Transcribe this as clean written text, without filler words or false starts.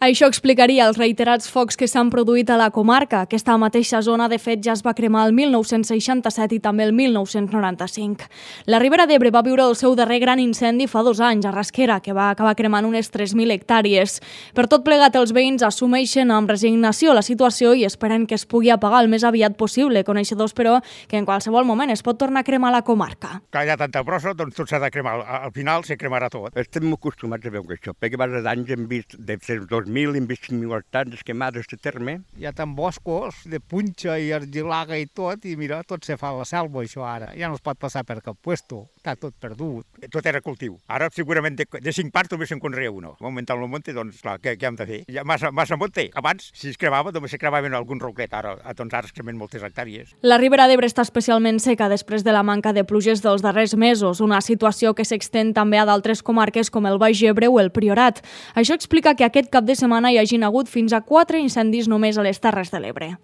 Això explicaria els reiterats focs que s'han produït a la comarca. Aquesta mateixa zona, de fet, ja es va cremar el 1967 i també el 1995. La Ribera d'Ebre va viure el seu darrer gran incendi fa 2 anys, a Rasquera, que va acabar cremant unes 3.000 hectàrees. Per tot plegat, els veïns assumeixen amb resignació la situació i esperen que es pugui apagar el més aviat possible, coneixedors, però, que en qualsevol moment es pot tornar a cremar la comarca. Que hi ha tanta brossa, doncs tot s'ha de cremar. Al final se cremarà tot. Estem acostumats a veure això, perquè diversos anys hem vist de 2.000, hem vist 5.000 hectàrees quemades de terme. Hi ha tant boscos de punxa i argilaga i tot, i mira, tot se fa a la selva, això ara. Ja no es pot passar per cap puesto, està tot perdut. Tot era cultiu. Ara, segurament, de 5 parts només se'n conrea uno. Augmentant el monte, doncs, clar, què hem de fer? Hi ha massa monte. Abans, si es cremava, només se cremaven algun roquet. Ara es cremen moltes hectàrees. La Ribera d'Ebre està especialment seca després de la manca de pluges dels darrers mesos, una situació que s'extén també a d'altres comarques com el Baix Ebre o el Priorat. Això explica que aquest cap de setmana hi hagin hagut fins a 4 incendis només a les Terres de l'Ebre.